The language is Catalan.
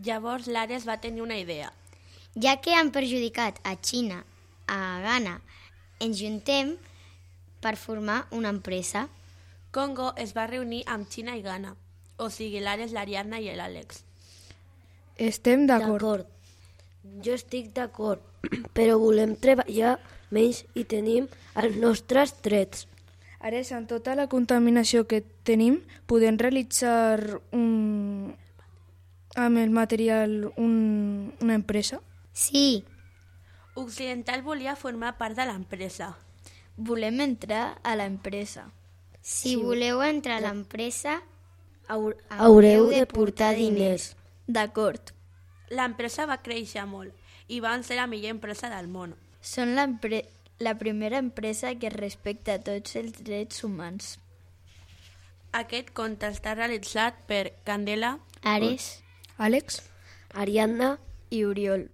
Llavors l'Ares va tenir una idea. Ja que han perjudicat a Xina, a Ghana, ens juntem per formar una empresa. Congo es va reunir amb Xina i Ghana, o sigui l'Ares, l'Ariadna i l'Àlex. Estem d'acord. Jo estic d'acord, però volem treballar menys i tenim els nostres drets. Ares, amb tota la contaminació que tenim, podem realitzar amb el material una empresa? Sí, Occidental volia formar part de l'empresa. Volem entrar a l'empresa. si voleu entrar a l'empresa, Haureu de portar diners. D'acord. L'empresa va créixer molt i van ser la millor empresa del món. Són la primera empresa que respecta tots els drets humans. Aquest conte està realitzat per Candela, Ares, Àlex? Ariadna I Oriol.